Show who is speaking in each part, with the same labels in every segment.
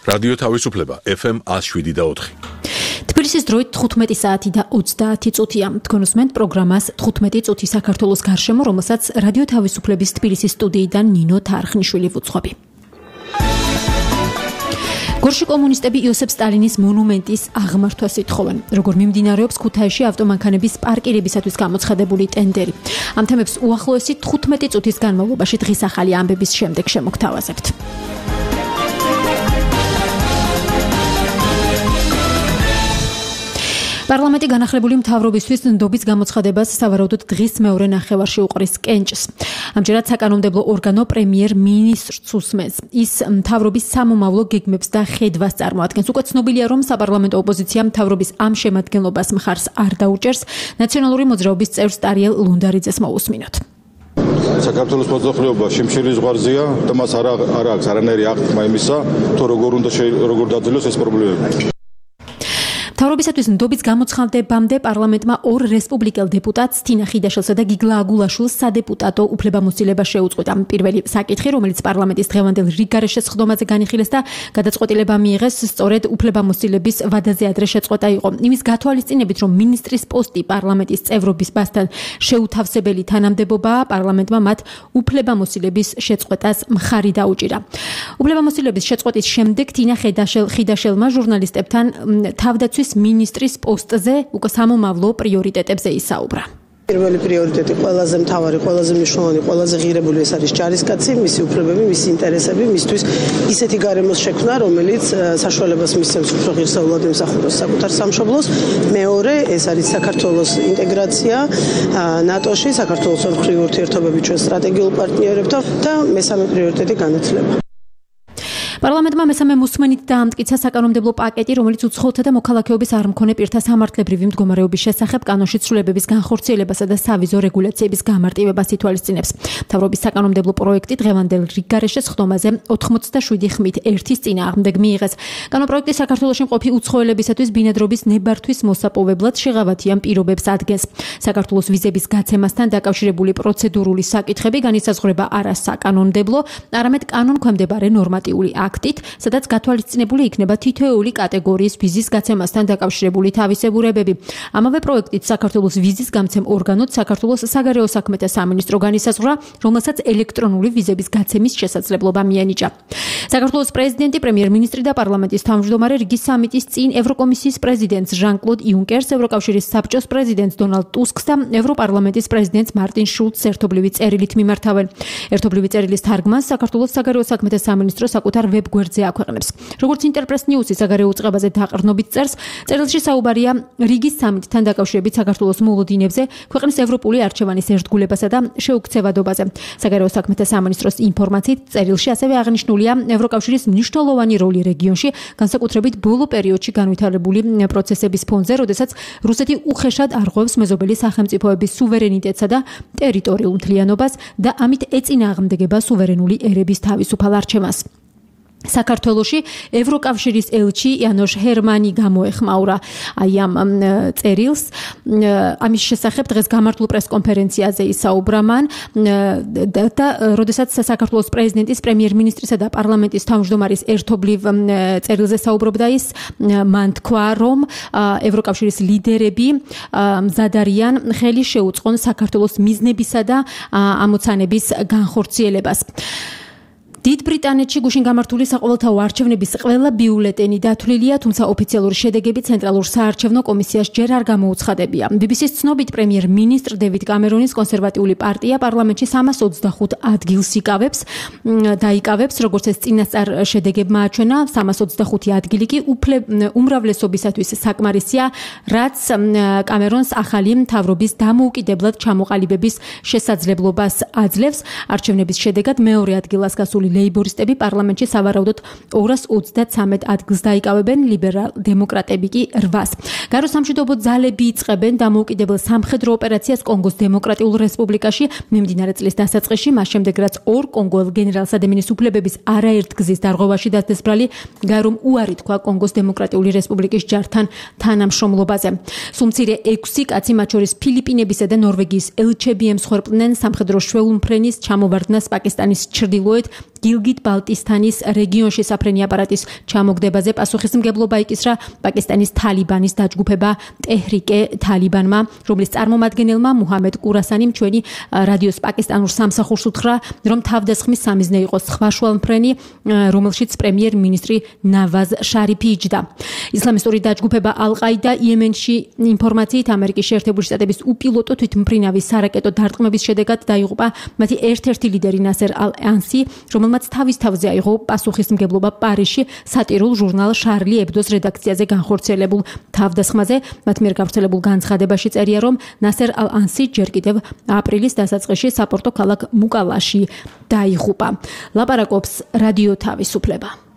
Speaker 1: რადიო თავისუფლება FM 107.4.
Speaker 2: თბილისის დროით 15 საათი და 30 წუთია. თქვენ უსმენთ პროგრამას 15 წუთი საქართველოს გარშემო, რომელსაც რადიო თავისუფლების თბილისის სტუდიიდან ნინო თარხნიშვილი ვუძღვები. გორში კომუნისტები იოსებ სტალინის მონუმენტის აღმართვას ითხოვენ. როგორ მიმდინარეობს ქუთაისში ავტომანქანების პარკირებისათვის გამოცხადებული ტენდერი. ამ თემებს უახლოესი 15 წუთის განმავლობაში დღის ახალი ამბების შემდეგ შემოგთავაზებთ. პარლამენტი განახლებული მთავრობისთვის ნდობის გამოცხადებას სავარაუდოდ დღის მეორე ნახევარში უყრის კენჭს. ამჯერად საკანონმდებლო ორგანო პრემიერ-მინისტრს უსმენს. ის მთავრობის სამომავლო გეგმებს და ხედვას წარმოადგენს. უკვე ცნობილია, რომ საპარლამენტო ოპოზიცია მთავრობის ამ შემადგენლობას მხარს არ დაუჭერს. ნაციონალური მოძრაობის წევრ სტარიელ ლუნდარიძეს მოусმინოთ.
Speaker 3: საქართველოს მოძრაობა შიმშილის ზღვარზეა და მას არ აქვს არანაირი აღთქმა იმისა, თუ როგორ დაძლევს ეს პრობლემები.
Speaker 2: მთავრობისათვის ნდობის გამოცხადებამდე პარლამენტმა ორ რესპუბლიკელ დეპუტატს თინა ხიდაშელსა და გიგლა აგულაშვილს სადეპუტატო უფლებამოსილება შეუწყვეტა. პირველი საკითხი, რომელიც პარლამენტის დღევანდელ რიგგარეშე სხდომაზე განიხილეს და გადაწყვეტილება მიიღეს, სწორედ უფლებამოსილების ვადაზე ადრე შეწყვეტა იყო. იმის გათვალისწინებით, რომ მინისტრის პოსტი პარლამენტის წევრობისთან შეუთავსებელი თანამდებობაა, პარლამენტმა მათ უფლებამოსილების შეწყვეტას მხარი დაუჭირა. უფლებამოსილების შეწყვეტის შემდეგ თინა ხიდაშელმა ჟურნალისტებთან თავდაცვის მინისტრის პოსტზე უკვე სამომავლო პრიორიტეტებზე ისაუბრა.
Speaker 4: პირველი პრიორიტეტი ყველაზე მთავარი, ყველაზე მნიშვნელოვანი, ყველაზე ღირებული ეს არის ჯარისკაცი, მისი უფლებები, მისი ინტერესები, მისთვის ისეთი გარემოს შექმნა, რომელიც საშუალებას მისცემს უფრო ღირსეულად ემსახუროს საკუთარ სამშობლოს. მეორე, ეს არის საქართველოს ინტეგრაცია ნატოში, საქართველოს ორმხრივი ურთიერთობები ჩვენ სტრატეგიულ პარტნიორებთან და მესამე პრიორიტეტი განათლება.
Speaker 2: პარლამენტმა მესამე მოსმენით დაამტკიცა საკანონმდებლო პაკეტი, რომელიც უცხოელთა და მოქალაქეობის არ მქონე პირთა სამართლებრივი მდგომარეობის შესახებ კანონში ცვლილებების განხორციელებასა და სავიზო რეგულაციების გამარტივებას ითვალისწინებს. მთავრობის საკანონმდებლო პროექტი დღევანდელ რიგგარეშე სხდომაზე 87 ხმით ერთის წინააღმდეგ მიიღეს. კანონპროექტი საქართველოში მყოფი უცხოელებისათვის ბინადრობის ნებართვის მოსაპოვებლად შეღავათიან პირობებს ადგენს. საქართველოს ვიზების გაცემასთან დაკავშირებული პროცედურული საკითხები განისაზღვრება არა საკანონმდებლო, არამედ კანონქვემდებარე ნორმატიული აქტით, სადაც გათვალისწინებული იქნება თითოეული კატეგორიის ვიზის გაცემასთან დაკავშირებული თავისებურებები. ამავე პროექტით საქართველოს ვიზის გამცემ ორგანოდ საქართველოს საგარეო საქმეთა სამინისტრო განისაზღვრა, რომელსაც ელექტრონული ვიზების გაცემის შესაძლებლობა მიენიჭა. საქართველოს პრეზიდენტი, პრემიერ-მინისტრი და პარლამენტის თავმჯდომარე რიგის სამიტის წინ ევროკომისიის პრეზიდენტს ჟან-კლოდ იუნკერს, ევროკავშირის საბჭოს პრეზიდენტს დონალდ ტუსკს და ევროპარლამენტის პრეზიდენტს მარტინ შულცს ერთობლივი წერილით მიმართავენ. ერთობლივი წერილის თარგმანს საქართველოს საგარეო საქმეთა სამინისტრო საკუთარ ვებ-გვერდზე აქვეყნებს. როგორც ინტერპრეს ნიუსი საგარეო უწყებაზე დაყრდნობით წერს, წერილში საუბარია რიგის სამიტთან დაკავშირებით საქართველოს მოლოდინებზე, ქვეყნის ევროპული არჩევანის ერთგულებასა და შეუქცევადობაზე. საგარეო საქმეთა სამინისტროს ინფორმაციით წერილში ასევე აღნიშნულია ევროკავშირის მნიშვნელოვანი როლი რეგიონში, განსაკუთრებით ბოლო პერიოდში განვითარებული პროცესების ფონზე, როდესაც რუსეთი უხეშად არღვევს მეზობელი სახელმწიფოების სუვერენიტეტსა და ტერიტორიულ მთლიანობას და ამით ეწინააღმდეგება სუვერენული ერების თავისუფალ არჩევანს. საქართველოში ევროკავშირის ელჩი იანოშ ჰერმანი გამოეხმაურა ამ წერილს. ამის შესახებ დღეს გამართულ პრესკონფერენციაზე ისაუბრა მან და როდესაც საქართველოს პრეზიდენტის, პრემიერ-მინისტრისა და პარლამენტის თავმჯდომარის ერთობლივ წერილზე საუბრობდა, ის მან თქვა, რომ ევროკავშირის ლიდერები მზად არიან ხელი შეუწყონ საქართველოს მიზნებისა და ამოცანების განხორციელებას. დიდ ბრიტანეთში გუშინ გამართული საყოველთაო არჩევნების ყველა ბიულეტენი დათვლილია, თუმცა ოფიციალური შედეგები ცენტრალურ საარჩევნო კომისიას ჯერ არ გამოუცხადებია. BBC-ს ცნობით პრემიერ-მინისტრ დევიდ კამერონის კონსერვატიული პარტია პარლამენტში 325 ადგილს დაიკავებს, როგორც ეს წინასწარ შედეგებმა აჩვენა. 325 ადგილი კი უმრავლესობისათვის საკმარისია, რაც კამერონს ახალი მთავრობის დამოუკიდებლად ჩამოყალიბების შესაძლებლობას აძლევს. არჩევნების შედეგად მეორე ადგილას გასული ლეიბორისტები პარლამენტში სავარაუდოდ 233 ადგილს დაიკავებენ, ლიბერალ-დემოკრატები კი 8-ს. გარო სამშვიდობო ძალები იწყებენ დამოუკიდებელ სამხედრო ოპერაციას კონგოს დემოკრატიულ რესპუბლიკაში მიმდინარე წლის დასაწყისში, მას შემდეგ რაც ორ კონგოელ გენერალს ადამიანის უფლებების არაერთგზის დარღვევაში დასდესბრალი გარომ უარი თქვა კონგოს დემოკრატიული რესპუბლიკის ჯართან თანამშრომლობაზე. სულ მცირე 6 კაცი, მათ შორის ფილიპინებისა და ნორვეგიის ელჩები ემსხვერპლნენ სამხედრო შვეულმფრენის ჩამოვარდნას პაკისტანის ჩრდილოეთ გილგიტ-ბალტისტანის რეგიონში საფრენი აპარატის ჩამოგდებაზე პასუხისმგებლობა იკისრა პაკისტანის თალიბანის დაჯგუფება ტეჰრიკე თალიბანმა, რომლის წარმომადგენელმა მუჰამედ კურასანიმ ჩვენი რადიოს პაკისტანურ სამსახურს უთხრა, რომ თავდასხმის სამიზნე იყო სხვაშუალმფრენი, რომელშიც პრემიერ-მინისტრი ნავაზ შარიფი იჯდა. ისლამისტური დაჯგუფება ალ-ყაიდა იემენში ინფორმაციით ამერიკის შეერთებული შტატების უპილოტო თვითმფრინავის სარაკეტო დარტყმების შედეგად დაიღუპა მათი ერთ-ერთი ლიდერი ნასერ ალ-ანსი, რომელმაც თავის თავზე აიღო პასუხისმგებლობა პარიზში სატირულ ჟურნალ შარლი ებდოს რედაქციაზე განხორციელებულ თავდასხმაზე. მათ მიერ გავრცელებულ განცხადებაში წერია, რომ ნასერ ალ-ანსი ჯერ კიდევ აპრილის დასაწყისში საპორტო ქალაქ მუკალაში დაიღუპა. ლაპარაკობს რადიო თავისუფლება.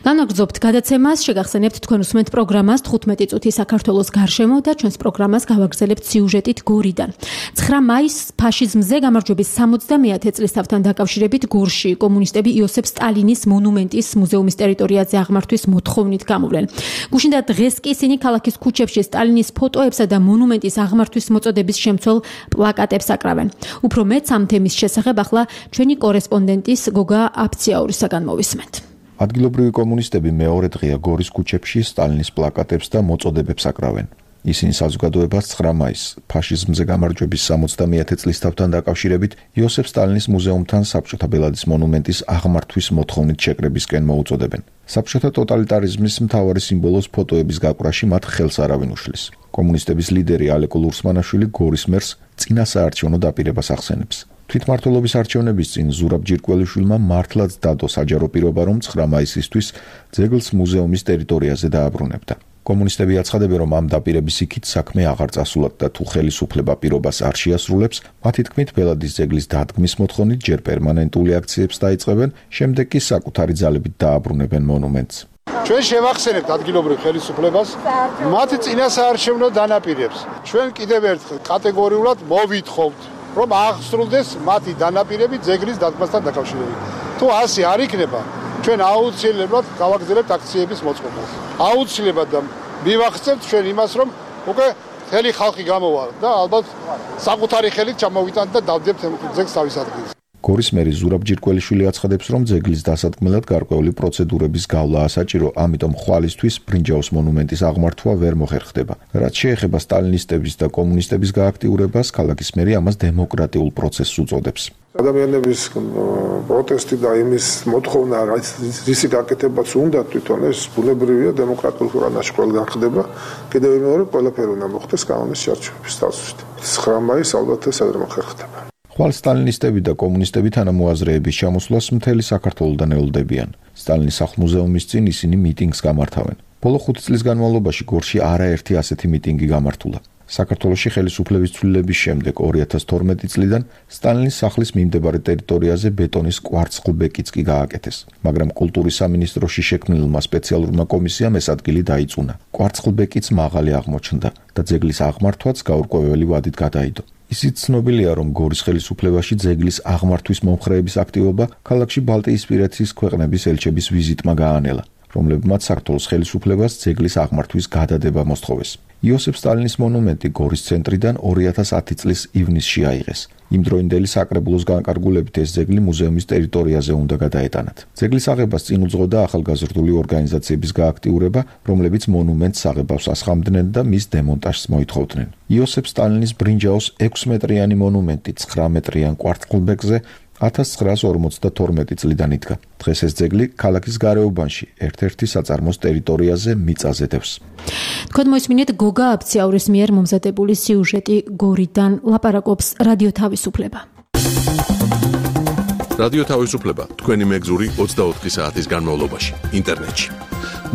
Speaker 2: განაგრძობთ გადაცემას, შეგახსენებთ თქვენ უსმენთ პროგრამას 15 წუთი საქართველოს გარშემო და ჩვენს პროგრამას გავაგრძელებთ სიუჟეტით გორიდან. 9 მაისს ფაშიზმზე გამარჯვების 70-ე წლისთავთან დაკავშირებით გორში კომუნისტები იოსებ სტალინის მონუმენტის მუზეუმის ტერიტორიაზე აღმართვის მოთხოვნით გამოვლენ. გუშინ და დღეს კი ისინი ქალაქის ქუჩებში სტალინის ფოტოებსა და მონუმენტის აღმართვის მოწოდების შემცველ პლაკატებს აკრავენ. უფრო მეც ამ თემის შესახებ ახლა ჩვენი კორესპონდენტის გოგა აფციაურისაგან მოვისმენთ.
Speaker 5: ადგილობრივი კომუნისტები მეორე დღეა გორის ქუჩებში სტალინის პლაკატებს და მოწოდებებს აკრავენ. ისინი საზოგადოებას 9 მაისს ფაშიზმზე გამარჯვების 70-ე წლისთავთან დაკავშირებით იოსებ სტალინის მუზეუმთან საბჭოთა ბელადის მონუმენტის აღმართვის მოთხოვნით შეკრებისკენ მოუწოდებენ. საბჭოთა ტოტალიტარიზმის მთავარი სიმბოლოს ფოტოების გაკვრაში მათ ხელს არავინ უშლის. კომუნისტების ლიდერი ალეკო ლურსმანაშვილი გორის მერს წინასაარჩევნო დაპირებას ახსენებს. თვითმმართველობის არჩევნების წინ ზურაბ ჯირკველიშვილმა მართლაც დადო საჯარო პირობა, რომ 9 მაისისთვის ძეგლს მუზეუმის ტერიტორიაზე დააბრუნებდა. კომუნისტები აცხადებენ, რომ ამ დაპირების იქით საქმე აღარ წასულათ და თუ ხელისუფლება პირობას არ შეასრულებს, მათი თქმით ბელადის ძეგლის დადგმის მოთხოვნით ჯერ პერმანენტული აქციებს დაიწყებენ, შემდეგ კი საკუთარი ძალებით დააბრუნებენ მონუმენტს.
Speaker 6: ჩვენ შევახსენებთ ადგილობრივ ხელისუფლებას მათი წინასაარჩევნო დანაპირებს. ჩვენ კიდევ ერთხელ კატეგორიულად მოვითხოვთ, რომ აღსრულდეს მათი დანაპირები ძეგლის დადგმასთან დაკავშირებით. თუ ასე არ იქნება, ჩვენ აუცილებლად გავაგრძელებთ აქციების მოწყობას. აუცილებლად და მივახცევთ ჩვენ იმას, რომ უკვე მთელი ხალხი გამოვა და ალბათ საკუთარი ხელით ჩამოვიტანთ და დავდებთ ძეგლს თავის ადგილზე.
Speaker 5: გორის მერი ზურაბ ჯირკველიშვილი აცხადებს, რომ ძეგლის დასადგმელად გარკვეული პროცედურების გავლა ასაჭირო, ამიტომ ხვალისთვის ბრინჯაოს მონუმენტის აღმართვა ვერ მოხერხდება. რაც შეეხება სტალინისტების და კომუნისტების გააქტიურებას, ქალაქის მერი ამას დემოკრატიულ პროცესს უწოდებს.
Speaker 7: ადამიანების პროტესტი და იმის მოთხოვნა, რისი გაკეთებაც უნდა თვითონ ეს ბუნებრივია დემოკრატიულ ხანაში ყველგან ხდება. კიდევ მეორე ყველაფერი უნდა მოხდეს კანონის შერჩევების თვალსაზრისით. 9 მაისს ალბათ ეს არ მოხერხდება. ხვალ სტალინისტები და კომუნისტები თანამოაზრეების ჩამოსვლას მთელი საქართველოდან ელოდებიან. სტალინის სახლ-მუზეუმის წინ ისინი მიტინგს გამართავენ. ბოლო 5 წლის განმავლობაში გორში არაერთი ასეთი მიტინგი გამართულა. საქართველოში ხელისუფლების ცვლილების შემდეგ 2012 წლიდან სტალინის სახლის მიმდებარე ტერიტორიაზე ბეტონის კვარცხლბეკიც კი გააკეთეს, მაგრამ კულტურის სამინისტროში შექმნილმა სპეციალურმა კომისიამ ეს ადგილი დაიწუნა. კვარცხლბეკიც მაღალი აღმოჩნდა და ძეგლის აღმართვაც გაურკვეველი ვადით გადაიდო. ისიც ცნობილია, რომ გორის ხელისუფლებაში ძეგლის აღმართვის მომხრეების აქტივობა ქალაქში ბალტიისპირეთის ქვეყნების ელჩების ვიზიტმა გაანელა, რომლებმაც საქართველოს ხელისუფლებას ძეგლის აღმართვის გადადება მოსთხოვეს. იოსებ სტალინის მონუმენტი გორის ცენტრიდან 2010 წლის ივნისში აიღეს. იმდროინდელი საკრებულოს განკარგულებით ეს ძეგლი მუზეუმის ტერიტორიაზე უნდა გადაეტანათ. ძეგლის აღებას წინ უძღოდა ახალგაზრდული ორგანიზაციების გააქტიურება, რომლებიც მონუმენტს აღებავს ასხამდნენ და მის დემონტაჟს მოითხოვდნენ. იოსებ სტალინის ბრინჯაოს 6 მეტრიანი მონუმენტი 9 მეტრიან კვარცხლბეკზე 1952 წლიდან იდგა. დღეს ეს ძეგლი ქალაქის გარეუბანში ერთ-ერთი საწარმოს ტერიტორიაზე მიწაზე დევს.
Speaker 2: თქვენ მოისმინეთ გოგა აფციაურის მიერ მომზადებული სიუჟეტი გორიდან, ლაპარაკობს რადიო თავისუფლება.
Speaker 1: რადიო თავისუფლება თქვენი მეგზური 24 საათის განმავლობაში ინტერნეტში.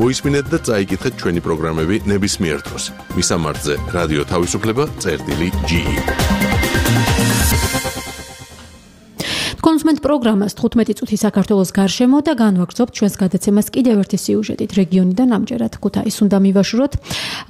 Speaker 1: მოისმინეთ და წაიკითხეთ ჩვენი პროგრამები ნებისმიერ დროს. მისამართზე რადიო თავისუფლება.ge
Speaker 2: თქვენ უსმენთ პროგრამას 15 წუთი საქართველოს გარშემო და განვაგრძობთ ჩვენს გადაცემას კიდევ ერთი სიუჟეტით რეგიონიდან ამჯერად ქუთაისს უნდა მივაშუროთ.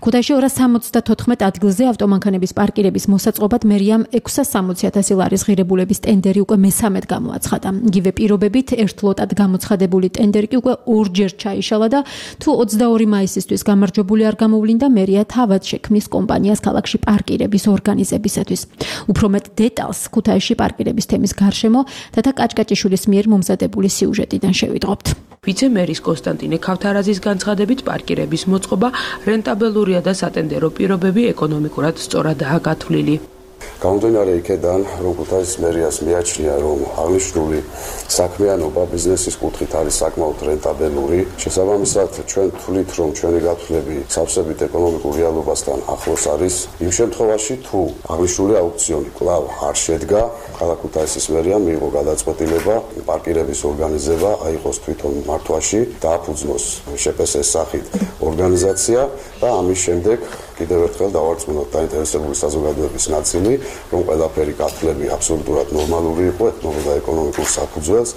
Speaker 2: ქუთაისში 274 ადგილზე ავტომანქანების პარკირების მოსაწყობად მერიამ 660,000 ლარის ღირებულების ტენდერი უკვე მესამედ გამოაცხადა. იგივე პირობებით ერთ ლოტად გამოცხადებული ტენდერი კი უკვე ორჯერ ჩაიშალა და თუ 22 მაისისთვის გამარჯვებული არ გამოვლინდა მერია თავად შექმნის კომპანიას ქალაქში პარკირების ორგანიზებისათვის. უფრო მეტ დეტალს ქუთაისში პარკირების თემის გარშემო თათა კაჭკაჭიშვილის მიერ მომზადებული სიუჟეტიდან შევიდღობთ.
Speaker 8: ვიცე-მერის კონსტანტინე ქავთარაძის განცხადებით პარკირების მოწყობა რენტაბელურია და სატენდერო პირობები ეკონომიკურად სწორადაა გათვლილი.
Speaker 9: გამომდინარე იქედან, რომ ქუთაისის მერიას მიაჩნია, რომ აღნიშნული საქმიანობა ბიზნესის კუთხით არის საკმაოდ რენტაბელური. შესაბამისად, ჩვენ თვლით, რომ ჩვენი გათვლები სავსებით ეკონომიკურ რეალობასთან ახლოს არის. იმ შემთხვევაში, თუ აღნიშნული აუქციონი კვლავ არ შედგა, ქალაქ ქუთაისის მერიამ მიიღო გადაწყვეტილება პარკირების ორგანიზება აიღოს თვითონ მართვაში, დააფუძნოს შპს-ის სახით ორგანიზაცია და ამის შემდეგ კიდევ ერთხელ დავარწმუნოთ დაინტერესებული საზოგადოების ნაწილი, რომ ყველაფერი გათვლები აბსოლუტურად ნორმალური იყო, ეთმობოდა ეკონომიკურ საფუძველს.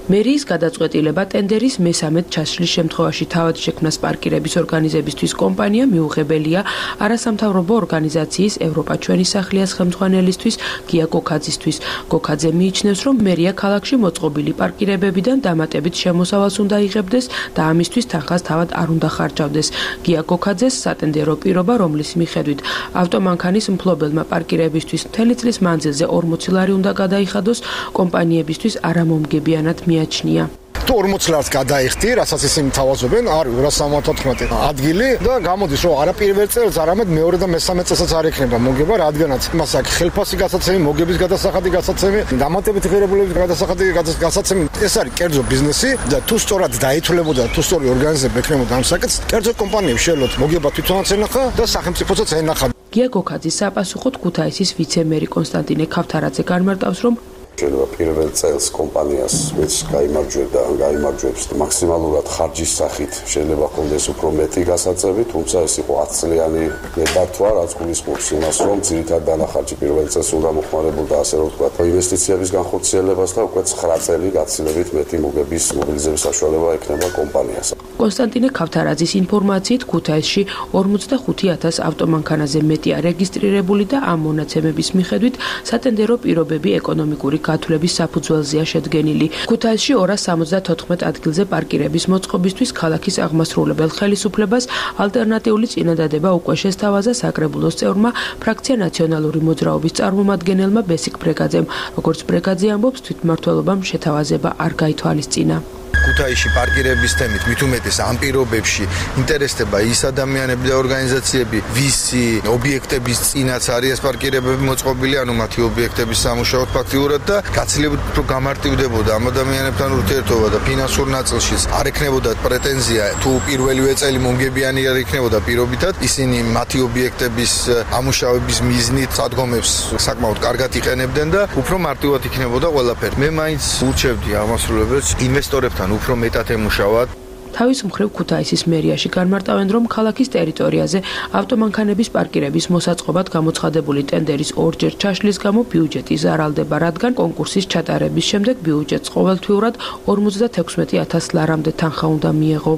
Speaker 8: მერიის გადაწყვეტილება ტენდერის მესამედ ჩასვლის შემთხვევაში თავად შექმნას პარკირების ორგანიზებისთვის კომპანია მიუღებელია არასამთავრობო ორგანიზაციის ევროპა ჩვენი სახლია ხელმძღვანელისთვის გია გოქაძისთვის. გოქაძე მიიჩნევს, რომ მერია ქალაქში მოწყობილი პარკირებებიდან დამატებით შემოსავალს უნდა იღებდეს და ამისთვის თანხას თავად არ უნდა ხარჯავდეს. გია გოქაძეს სატენდერო პირობა, რომლის მიხედვით ავტომანქანის მფლობელმა პარკირებისთვის მთელი წლის მანძილზე 40 ლარი უნდა გადაიხადოს, კომპანიებისთვის არამომგებიანად მიაჩნია.
Speaker 10: თუ 40 ლარს გადაიხდი, რასაც ისინი თავაზობენ, არის 274 ადგილი და გამოდის, რომ არა პირველ წელს, არამედ მეორე და მესამე წელსაც არ ექნება მოგება, რადგანაც მას აქვს ხელფასი გასაცემი, მოგების გადასახადი გასაცემი, დამატებითი ღირებულების გადასახადი გასაცემი. ეს არის კერძო ბიზნესი და თუ სწორად დაითვლებოდა, თუ სწორი ორგანიზება ექნებოდა ამ საკითხს, კერძო კომპანიებს შეეძლოთ მოგება თვითონაც ენახა და სახელმწიფოსაც ენახა.
Speaker 8: გია გოქაძის საპასუხოდ ქუთაისის ვიცე-მერი კონსტანტინე ქავთარაძე განმარტავს, რომ
Speaker 9: შეიძლება პირველ წელს კომპანიას ვინც გაიმარჯვებდა, ან გაიმარჯვებს მაქსიმალურად ხარჯის სახით შეიძლება ჰქონდეს უფრო მეტი გასაწევი, თუმცა ეს იყო 10 წლიანი ნებართვა, რაც გულისხმობს იმას, რომ ძირითადად დანახარჯი პირველ წელს უნდა მოხმარებოდა, ასე რომ ვთქვათ, ინვესტიციების განხორციელებას და უკვე 9 წელი გაცილებით მეტი მოგების მობილიზების საშუალება ექნება კომპანიას.
Speaker 8: კონსტანტინე ქავთარაძის ინფორმაციით ქუთაისში 45,000 ავტომანქანაზე მეტია რეგისტრირებული და ამ მონაცემების მიხედვით სატენდერო პირობები ეკონომიკური გათვლების საფუძველზეა შედგენილი. ქუთაისში 274 ადგილზე პარკირების მოწყობისთვის ქალაქის აღმასრულებელ ხელისუფლებას ალტერნატიული წინადადება უკვე შესთავაზა საკრებულოს წევრმა ფრაქცია ნაციონალური მოძრაობის წარმომადგენელმა ბესიკ ბრეგაძემ. როგორც ბრეგაძე ამბობს, თვითმმართველობამ შეთავაზება არ გაითვალისწინა.
Speaker 10: ქუთაისში პარკირების თემით მით უმეტეს ამ პირობებში ინტერესდება ის ადამიანები და ორგანიზაციები, ვისი ობიექტების წინაც არის ეს პარკირებები მოწყობილი, ანუ მათი ობიექტების სამუშაოდ ფაქტიურად და გაცილებით უფრო გამარტივდებოდა ამ ადამიანებთან ურთიერთობა და ფინანსურ ნაწილშიც არ ექნებოდა პრეტენზია, თუ პირველივე წელი მომგებიანი არ იქნებოდა პირობითად, ისინი მათი ობიექტების ამუშავების მიზნით სადგომებს საკმაოდ კარგად იყენებდნენ და უფრო მარტივად იქნებოდა ყველაფერი. მე მაინც ურჩევდი აღმასრულებელს ინვესტორებთან უფრო მეტად ემუშავად.
Speaker 8: თავის მხრივ ქუთაისის მერიაში განმარტავენ, რომ ქალაქის ტერიტორიაზე ავტომანქანების პარკირების მოსაწყობად გამოცხადებული ტენდერის ორჯერ ჩაშლის გამო ბიუჯეტი ზარალდება, რადგან კონკურსის ჩატარების შემდეგ ბიუჯეტს ყოველთვიურად 56,000 ლარამდე თანხა უნდა მიეღო.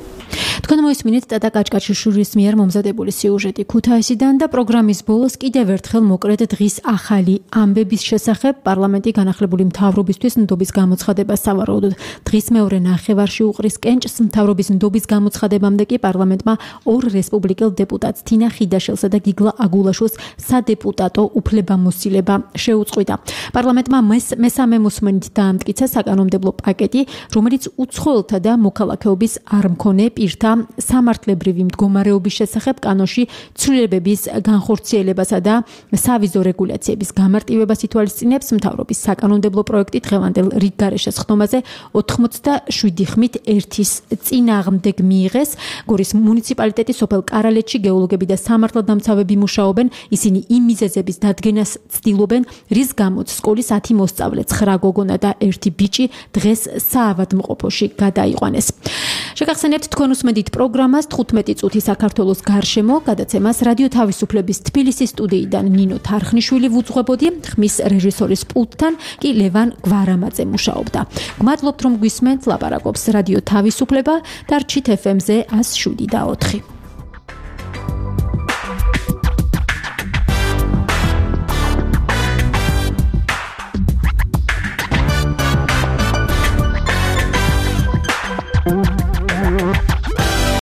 Speaker 2: თქვენ მოისმინეთ ტატა კაჭკაჭიშვილის მიერ მომზადებული სიუჟეტი ქუთაისიდან და პროგრამის ბოლოს კიდევ ერთხელ მოკრეთ დღის ახალი ამბების შესახებ პარლამენტი განახლებული მთავრობისთვის ნდობის გამოცხადებას სავარაუდოდ დღის მეორე ნახევარში უყრის კენჭს. მთავრობის ნდობის გამოცხადებამდე კი პარლამენტმა ორ რესპუბლიკელ დეპუტატს თინა ხიდაშელსა და გიგლა აგულაშვილს სადეპუტატო უფლებამოსილება შეუწყვიტა. პარლამენტმა მესამე მოსმენით დაამტკიცა საკანონმდებლო პაკეტი, რომელიც უცხოელთა და მოქალაქეობის არ მქონე პირთა სამართლებრივი მდგომარეობის შესახებ კანონში ცვლილებების განხორციელებასა და სავიზო რეგულაციების გამარტივებას ითვალისწინებს. მთავრობის საკანონმდებლო პროექტი დღევანდელ რიგ გარეშე სხდომაზე 87 ხმით ერთის წინ წინააღმდეგ მიიღეს. გორის მუნიციპალიტეტის სოფელ კარალეთში გეოლოგები და სამართალდამცავები მუშაობენ. ისინი იმ მიზეზების დადგენას ცდილობენ, რის გამოც სკოლის 10 მოსწავლე, 9 გოგონა და 1 ბიჭი დღეს საავადმყოფოში გადაიყვანეს. შეგახსენებთ თქვენ უსმენთ პროგრამას 15 წუთი საქართველოს გარშემო, გადაცემას რადიო თავისუფლების თბილისის სტუდიიდან ნინო თარხნიშვილი ვუძღვებოდი, ხმის რეჟისორის პულტთან კი ლევან გვარამაძე მუშაობდა. გმადლობთ რომ გვისმენთ, ლაპარაკობს რადიო თავისუფლება და რჩით FM-ზე 107.4.